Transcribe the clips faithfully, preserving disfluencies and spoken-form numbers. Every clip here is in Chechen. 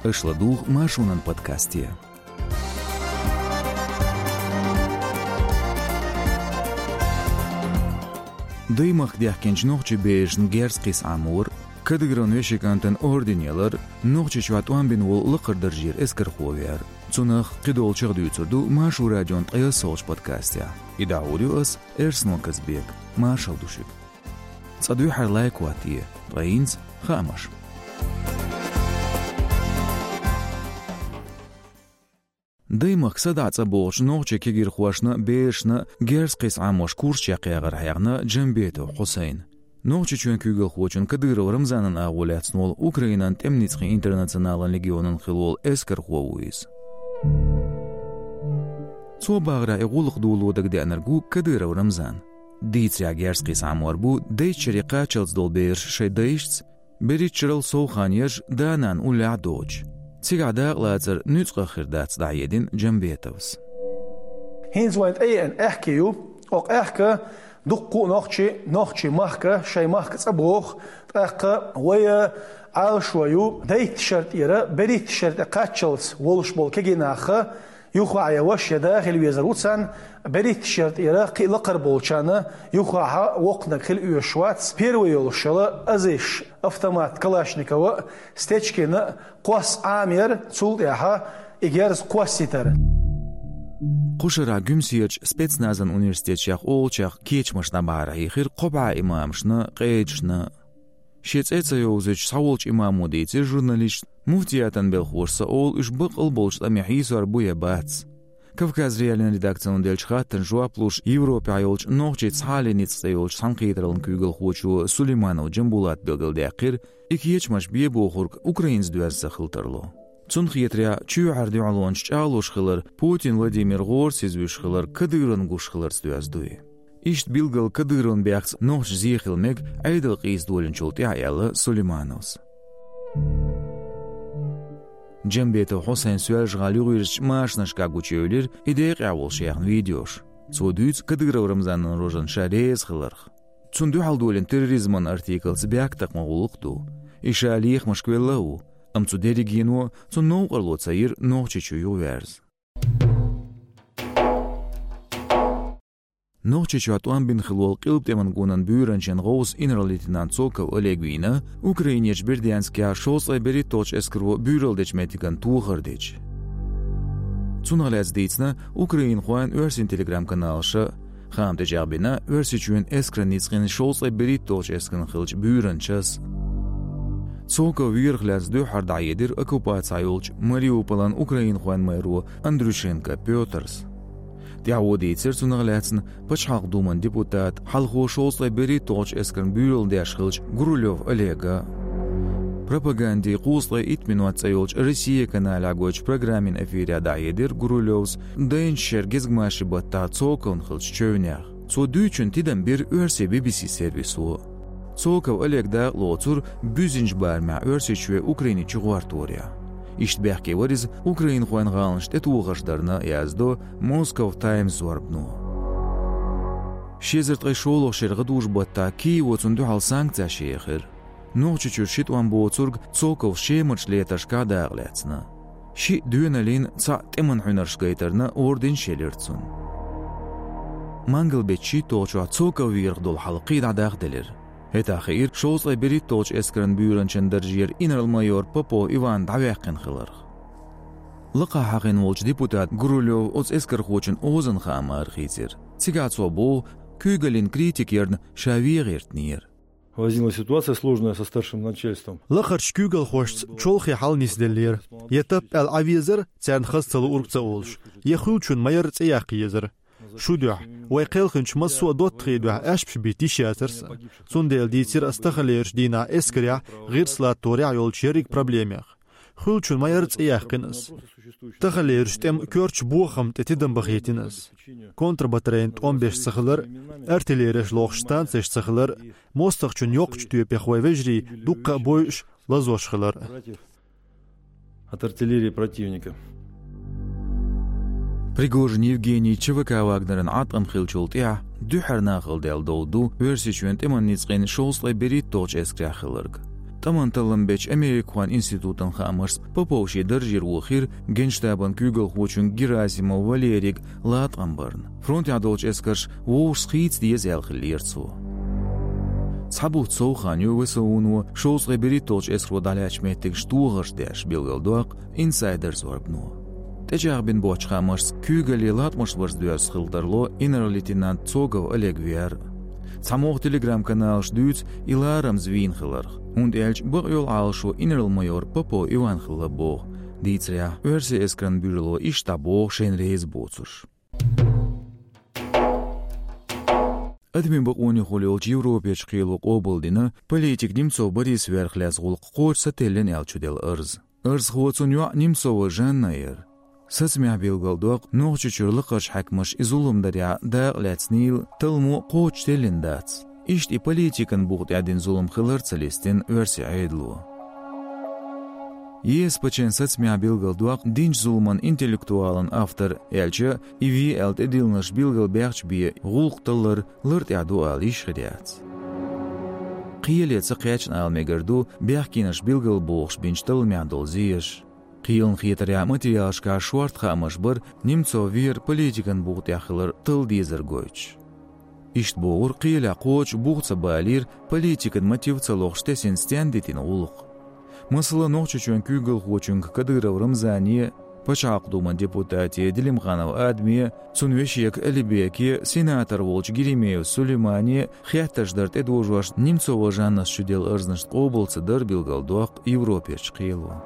Аша ладугӀу Маршонан подкасте. Даймахка даьхкинчу нохчийн берашна герз кхиса Ӏамор, Кадыровн вешин кӀантана орден ялар, Нохчийчохь тӀом бина волу лакхара даржера эскархо веар. Цунах, кхидолчух дуьйцур ду Маршо радион ткъе ялхолгӀачу подкастехь. И дӀахьур ю ас, Эрсмо Казбек. Маршалла ду шуьга. Цкъа дуьххьара лайк хӀоттае, ткъа хӀинца хаамаш. Даймахка садаӀа цӀа богӀучу нохчийн кегийрхошна а, берашна а герз кхиса Ӏамош курс чекхъярах хьехна Джамбетов Хьусайн. Нохчийчоьнан куьйгалхочун Кадыров Рамзанан агӀо лаьцна волу Украинан тӀеман ницкъийн интернационалан легионан хилла волу эскархо ву иза. Цо бахарехь, и гӀуллакх доло дагадеанарг ву Кадыров Рамзан. Дийцарехь, герз кхиса Ӏамор бу дейтта шаре кхаччалц долу бераш шайн дайшца, берхӀитта шарал сов хан ерш да-нана уллехь а доцуш. Цигахь дакъалацар нуьцкъах хир дац, дӀахьедина Джамбетовс. ХӀинца вайн тӀееана аьхке ю. Оха аьхка дуккха а нохчи, нохчийн махка, шайн махка цӀа богӀу, тӀаккха вай Ӏалашо ю дейтта шар тӀера берхӀитта шар тӀе кхаччалц волуш болу кегий нах, юха а я ваша, я да хила везар ву царна, берхӀитта шар тӀера кхин а лакхара болчарна юххехь воккханиг хила оьшуш вац, первый йолуш йолу азиш, автомат Калашникова а, Стечкина а кхосса Ӏамор, цул тӀаьхьа и герз кхоссийтар. Кху шарахь Гуьмсерчу спецназан университетехь олучех кечамаш дӀабахьархьехира кхо бӀе имамашна а, къедашна а. Шен цӀе ца йовзуьйтуш цхьаволчу имамо дийцира журналисташна, муфтиятан белхахоша ца олу уьш баккъал болчу тӀаме хьийсор бу я бац. Кавказ.Реалиин редакцино деллачу хаттарна жоп луш, Европехь йолчу нохчийн цхьааллин ницкъ цӀе йолчу цхьаьнакхетараллин куьйгалхочо Сулейманов Джамбулата билгалдаьккхира, и кечамаш бен бохург Украинца доьзна ца хила тарло. Цунна хетарехь, чоьхьара дуьхьалонаш чӀагӀлуш хилар, Путин Владимир гӀора сизвуьйш хилар Кадыровна гуш хиларца доьзна дуй. Иштта билггал Кадыровн бехкца нохчаша зе хила мега Ӏедал къийса долийначул тӀаьхьа, аьлла Сулеймановс. Джамбетов Хьусайн Соьлжа-ГӀала юхавирзичу машанашкахь гучуевлира и декъехь волуш яьхна видеош. Цо дуьйцу Кадыров Рамзанан рожана ша реза хиларх. Цунна дуьхьал долийна терроризман артиклаца бехктакхаман гӀуллакх а ду. И ша лехамашка велла а ву, амма цу дерригено цунна новкъарло ца йира Нохчийчу юхаверза. Нохчийчохь тӀом бина хилла волу Къилба тӀеман гонан буьйранчин гӀовс инарла-лейтенант Цоков Олег вийна Украинерчу Бердянскехь шовзткъе берхӀитталгӀачу эскаро буьйралла дечу меттиган тохар деча. Цунах лаьцна дийцина украинхойн а, оьрсийн телеграм-каналаша а. Хаам тӀечӀагӀбина Оьрсийчоьнан эскаран ницкъийн шовзткъе берхӀитталгӀачу эскаран хиллачу буьйранчас а. Цоков верах лаьцна дуьххьара дӀахьедира оккупацехь йолчу Мариуполан украинхойн мэро Андрющенко Пётрс. ТӀаьхьо дийцира цунах лаьцна Пачхьалкхан Думан депутата, хьалхо шовзткъе берхӀитталгӀачу эскарна буьйралла деш хиллачу Гурулёв Олега. «Пропагандин кхузткъе итт минот» цӀе йолчу «Россия» каналехь гойтучу программин эфирехь дӀахьедира Гурулёвс дайначу шеран гезгмашин баттахь Цоковна хиллачу чевнех. Цо дуьйцучун тидам бира оьрсийн Би-Би-Си сервисо. Цоков Олег дакъалоцура буьззинчу барамехь Оьрсийчоь Украине чугӀортарехь. Иштта бехке вара иза украинхойн гӀаланаш тӀетохарш дарна, яздо Moscow Times зорбано. Ши эзар ткъе шолгӀачу шеран гӀадужу баттахь Киево цунна дуьхьал санкцеш яьхира. Нохчийчуьра ши тӀом боцург Цоковс Шемарчу летаршкахь дакъалаьцна. Шиъ доьналлин, цхьаъ тӀеман хьуьнарш гайтарна орденаш елира цунна. Мангал-беттан шийтталгӀачохь Цоков верах долу хьал кхин дӀа дахделира. ХӀетахь хиира шовзткъе берхӀитталгӀачу эскаран буьйранчин даржера инарла-майор Попов Иван дӀаваьккхина хиларх. Лакхахь хьахийна волчу депутата Гурулёва оцу эскархочун озан хаам арахийцира. Цигахь цо боху, куьйгаллин критика ярна ша вен гӀиртинера. Возникла ситуация сложная со старшим начальством. Лакхарчу куьйгалхошца чолхе хьал нисделлера. Я тап аьлла Ӏан везара, царна хаза ца луург ца олуш, я хуьлучун ма-ярра цӀе яккха езара. Шун дуьхьа, вай кхелхинчу массо а доттагӀийн дуьхьа аьшпаш битта йиш яцара сан. Цундела дийцира ас таханлерчу дийнахь эскарехь, гӀирс латторехь йолчу ерриг проблемех. Хуьлучун ма-ярра цӀе яьккхина ас. Таханлерчу тӀеман коьртачу бохамна тӀе тидам бахийтина ас. Контрбатарейн тӀом беш ца хилар, артиллереш лохуш станцеш ца хилар, мостагӀчун йоккхачу тоьпех вайн вежарий дуккха а бойуш, лазош хилар. От артиллерии противника. Пригожин Евгений ЧВК Вагнеран Ӏаткъам хиллачул тӀаьхьа дуьххьара нахала даьлла дов ду Оьрсийчоьнан тӀеман ницкъийн шовзткъе берхӀитталгӀачу эскарехь хилларг. ТӀеман таллам бечу Америкахойн институтан хаамашца, Попов шен даржера вохийра генштабан куьйгалхочуьнга Герасимов Валерийга латкъам барна, фронтехь долчу эскарша вовшашца хийца деза аьлла хиллера цо. Цхьа бутт сов хан ю ВСУ-но шовзткъе берхӀитталгӀачу эскаро дӀалаьцначу меттигашка тохарш деш, билгалдоккху Insider зорбано. ТӀечӀагӀбина боцчу хаамашца, куьйгалле латкъамаш барза доьзна хила тарло инарла-лейтенант Цогов Олег вер. Цхьа могӀа телеграм-каналаш дуьйцу и ларамза вийна хиларх, хӀунда аьлча бакъйолу Ӏалашо инарла-майор Попов Иван хилла боху, дийцарехь, оьрсийн эскаран буьйрало иштта дӀабоху шайна реза боцурш. Адамийн бакъонехула йолчу Европерчу кхело къобалдина политик Немцов Борис верах лаьцна гӀуллакх кхочуш сателлина аьлла чуделла арз. Арзхо, цуьнан йоӀ Немцова Жанна яра. Сацамехь билгалдоккху, Нохчийчуьра лакхарчу хьаькамаша и зулам дарехь дакъа лаьцнийла, талламо кхочуш теллина дац. Иштта и политикан буха тӀехь дина зулам хилар а ца листина оьрсийн Ӏедало. ЕСПЧ-н сацамехь билгалдоккху, динчу зуламан интеллектуалан автор, аьлча, и ве аьлла тӀедиллинарш билгалбаьхча бен гӀуллакх таллар лар тӀехь ду ала йиш хир яц. Кхеле ца кхаьчна ала мегар ду бехкенаш билгалбохуш бинчу талламехь долу зеш. Кхелан хетарехь, материалашкахь шорта хаамаш бара Немцов вер политикан буха тӀехь хилар талла дезар гойтуш. Иштта бохура, кхелехь кхочуш буха ца балийра, политикан мотив ца лохуш тесина стенна дитина гӀуллакх. Масала, Нохчийчоьнан куьйгалхочуьнга Кадыров Рамзане, Пачхьалкхан Думан депутате Делимханов Адаме, цуьнан вешега Алибеке, сенатор волчу Геремеев Сулеймане хеттарш дар тӀедожош Немцова Жаннас чуделла арзнашна къобал ца дар билгалдоккху Европерчу кхело.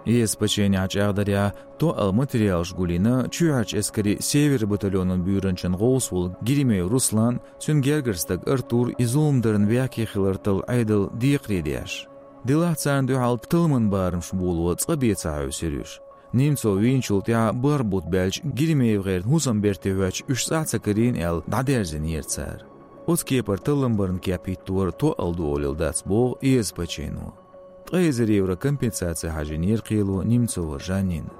ЕСПЧ-н чӀагӀдарехь, тоъал материалаш гулйина чоьхьарчу эскарийн Север батальонан буьйранчин гӀовс волу Геремеев Руслан, цуьнан гергара стаг Артур и зулам дарна бехке хилар талла Ӏедал декхаре деш. Делахь царна дуьхьал талламан барамаш боло цкъа бен ца хьаьвсира уьш. Немцов вийначул тӀаьхьа бархӀ бутт баьлча, ГеремеевгӀеран хӀусамберте хӀоьттича, уьш цӀахь ца карийна аьлла, дӀадерзийнера цара. Оцу кепара таллам барна кеп хӀиттор тоъал ду олийла дац, боху ЕСПЧ-но. Ткъе эзар евро компенсаци хьажийнера кхело Немцова Жаннина.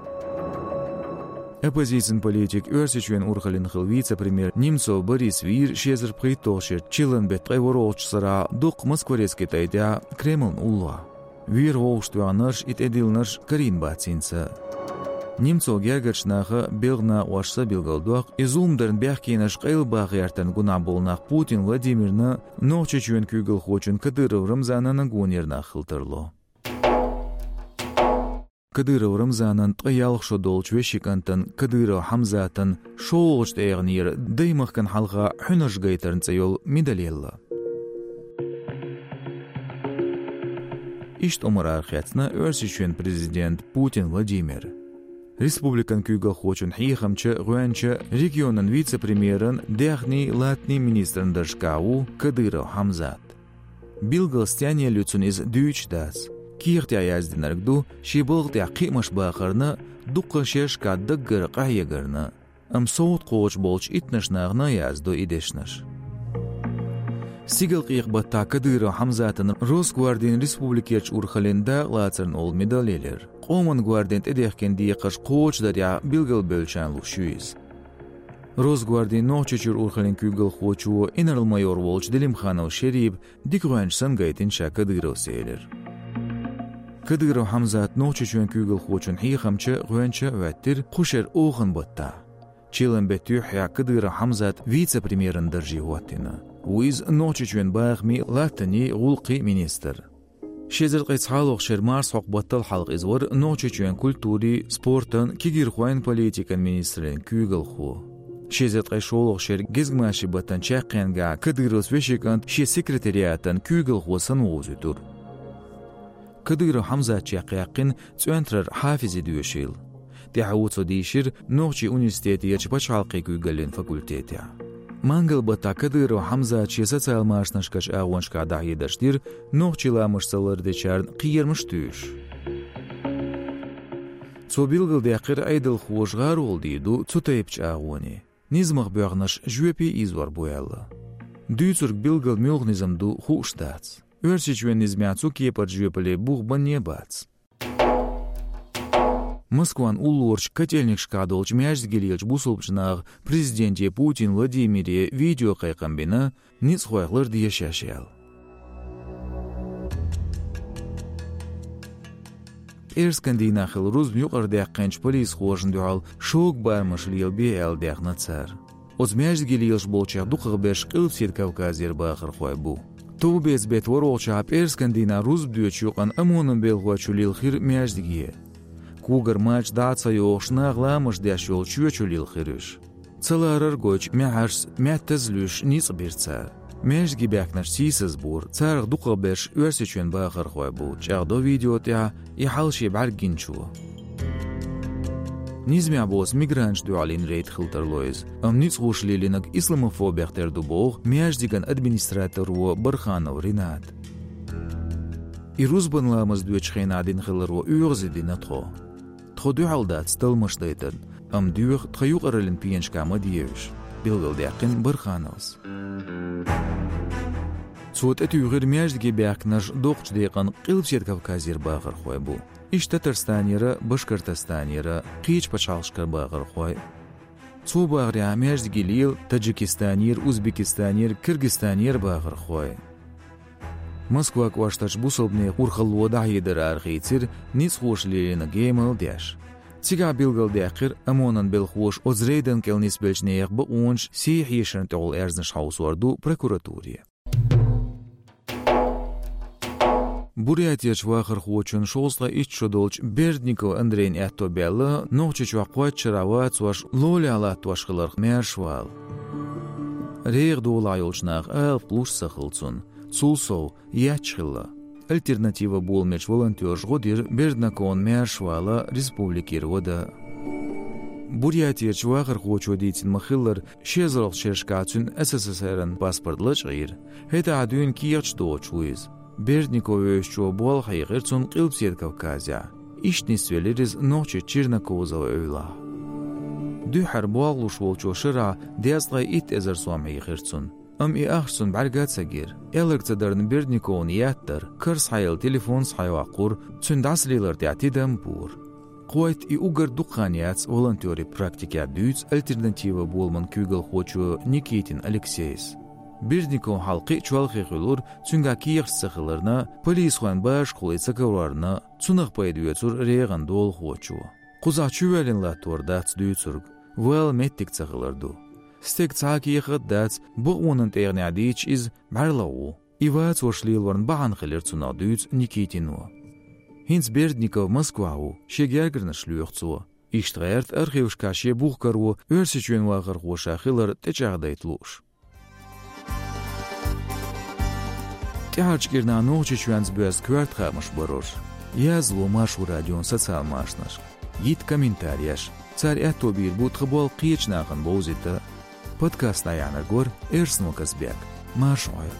Оппозицин политик, Оьрсийчоьнан урхаллин хилла вице-премьер Немцов Борис вийра ши эзар пхийтталгӀачу шеран чиллан беттан ткъе ворхӀалгӀачу сарахь дуккха маскварецкий тӀай тӀехь Кремлна уллохь. Вер вовшахтоьхнарш, и тӀедиллинарш карийна бац хӀинца. Немцов гергарчу наха, белхан накъосташа билгалдоккху, и зулам дарна бехкенаш къайлабаха гӀертарна гунахь болу нах Путин Владимирна, Нохчийчоьнан куьйгалхочун Кадыров Рамзанна гонера нах хила тарло. Кадыров Рамзанан ткъе ялх шо долчу вешин кӀантана Кадыров Хьамзатан шолгӀачу тӀегӀанера даймахкана хьалха хьуьнарш гайтарна цӀе йолу медаль елла. Иштта омра арахецна Оьрсийчоьнан президент Путин Владимир. Республикан куьйгалхочун хьехамча, гӀоьнча, регионан вице-премьеран, даьхний, латтанийн министран даржашкахь ву Кадыров Хьамзат. Билггал стенна елла ю цунна иза дуьйцуш дац. Кехатехь яздинарг ду, шен балха тӀехь кхиамаш бахарна, дуккха шерашкахь даггара къахьегарна. Амма совгӀат кхочуш болчу иттаннаш нахана яздо и дешнаш. Стигалкъекъа баттахь Кадыров Хьамзатан Росгвардин республикерчу урхаллин дакъалацарна олу медаль елира. Къоман гвардин тӀедехкина декхарш кхочушдарехь билгалбевллачарна луш ю иза. Росгвардин Нохчийчуьра урхаллин куьйгалхочо, инарла-майор волчу Делимханов Шериба дика гӀоьнча санна гайтина ша Кадыровс элира. Кадыров Хьамзат Нохчийчоьнан куьйгалхочун хьехамча, гӀоьнча а хӀоьттира кху шеран охан баттахь. Чиллан беттан юьххьехь Кадыров Хьамзат вице-премьеран дарже хӀоттийна. Ву иза Нохчийчоьнан бахамийн, латтанийн, гӀуллакхийн министр. Ши эзар ткъе цхьалгӀачу шеран марсхьокху баттал хьалха иза вара Нохчийчоьнан культурин, спортан, кегийрхойн политикан министраллин куьйгалхо. Ши эзар ткъе шолгӀачу шеран гезгмашин баттан чаккхенгахь Кадыровс вешин кӀант шен секретариатан куьйгалхо санна вовзуьйтура. Кадыров Хьамзат чекхъяьккхина ЦӀоьнтарара Хьафизи доьшийла. ТӀаьхьо цо дийшира Нохчийн университетерчу пачхьалкхийн куьйгаллин факультетехь. Мангал баттахь Кадыров Хьамзата шен социал-машанашкарчу агӀонашкахь дӀахьедарш дира нохчийн ламастаца лардечарна кхерамаш туьйсуш. Цо билгалдаьккхира, Ӏедалхоша гӀаролла дийр ду цу тайпачу агӀоне. Низамах боьхнарш жоьпе ийзор бу аьлла. Дуьйцург билггал муьлха низам ду хууш дац. Оьрсийчоьнан низамехь цу кепара жоьпалле бух банне а бац. Москван уллорачу Котельникашкахь долчу маьждиге лелачу бусалбачу наха президенте Путин Владимире видеокхайкхам бина, ницкъахойх ларде шаьш аьлла. Эрскан дийнахь хилла рузба юкъарадаьккхинчу полисхошна дуьхьал шога барамаш лелабе аьлла даьхна цара. Оцу маьждиге лелаш болчех дукхахберш Къилбаседа Кавказера бахархой бу. Товбеца беттан ворхӀалгӀачохь пӀераскан дийнахь рузба доьдучу юкъана ОМОНан белхалой чу лилхира маьждиге. Когара мача дӀа а ца йохуш, наха ламаз деш йолу чоь чу лилхира уьш. Ца ларар а гойтуш, маьхьаршца маьттаза луьйш ницкъ бира цара. Маьждиге баьхкинарш сийсазбора, царах дукхахберш Оьрсийчоьнан бахархой бу, чӀагӀдо видео тӀехь и хьал шен бӀаьрг гиначо. Низамехь боцу мигранташна дуьхьал йина рейд хила тарло иза, амма ницкъаша лелийнарг исламофобех тера ду боху маьждиган администраторо Барханов Рената. И рузбан ламаз доьдучу хенахь дина хиларо оьгӀазе дина тхо. Тхо дуьхьал дац талламаш дайтарна, амма доьху тхан юкъараллин пенашкахь ма де уьш, билгалдаьккхина Бархановс. Цо тӀетуьйхира, маьждиге баьхкинарш доккхачу декъана Къилбаседа Кавказера бахархой бу. Иштта Татарстанера, Башкортостанера, кхечу пачхьалкхашкара бахархой. Цо бахарехь, маьждиге лела Таджикистанера, Узбекистанера, Киргизстанера бахархой. Москва кӀоштарчу бусалбанийн урхалло дӀахьедар арахийцира ницкъаша лелийнарг емал деш. Цигахь билгалдаьккхира ОМОНан белхалоша оцу рейдан кӀел нисбеллачу нехан бакъонаш сий хьешарна тӀехула аьрзнаш хьовсор ду прокуратуре. Бурятерчу вахархочун шовзткъе итт шо долчу Бердников Андрейн аьтто баьлла Нохчийчохь кхойтта шарахь вацош лолахь латтош хиларх маьршавала. РегӀан долахь йолчу наха алапа луш ца хилла цунна. Цул сов, етташ хилла. «Альтернатива» боламечу волонтерша гӀо дира Бердниковна маьршавала республикера вада. Бурятерчу вахархочо дийцина ма-хиллара, ши эзарлагӀчу шерашкахь цуьнан СССР-ан паспорт лачкъийра. ХӀетахь дуьйна кехаташ доцуш ву иза. Бердников вевзачо болх хьехира цунна Къилбаседа Кавказехь. Иштта нисвелира иза нохчи Чернокозова эвлахь. Дуьххьара болх луш волчо шарахь дезткъе итт эзар сом хьийхира цунна. Амма и ахча цунна бӀаьрга а ца гира. Аьлларг ца дарна, Бердниковна еттара, кара схьаелла телефон схьайоккхура, цуьнан дӀасалелар тӀехь тидам а бора. Кхойтта и уггар дукха хан яц волонтерийн практикехь, дуьйцу «Альтернатива» боламан куьйгалхочо Никитин Алексейс. Бердниковн хьал кхин а чолхе хуьлура, цуьнгахь кехаташ ца хиларна, полисхойн башхалла ца карорна, цунах пайда оьцура регӀан долахочо. Кхузахь чувоьллина латтор дац дуьйцург, вала меттиг ца хилар ду. Стеган цхьа а кехат а дац, бакъонан тӀегӀанехь дийцча, иза бӀаьрлагӀа ву. И вацош лелорна бахьана хилира цунах, дуьйцу Никитино. ХӀинца Бердников Москвахь ву, шен гергарнаш лоьху цо. Иштта гӀерта архивашкахь шен бух каро Оьрсийчоьнан вахархоша хилар тӀечӀагӀдайта лууш. ТӀаьхьарчу кӀирнахь Нохчийчоьнца боьзна коьрта хаамаш бара уьш. Язло Маршо радион социал машанашка. Йита комментареш. Цара аьтто бийр бу тхан болх кхечу нахана бовзийта. Подкаст дӀаяьхьнарг вара Эрсмо Казбек. Марша Ӏойла.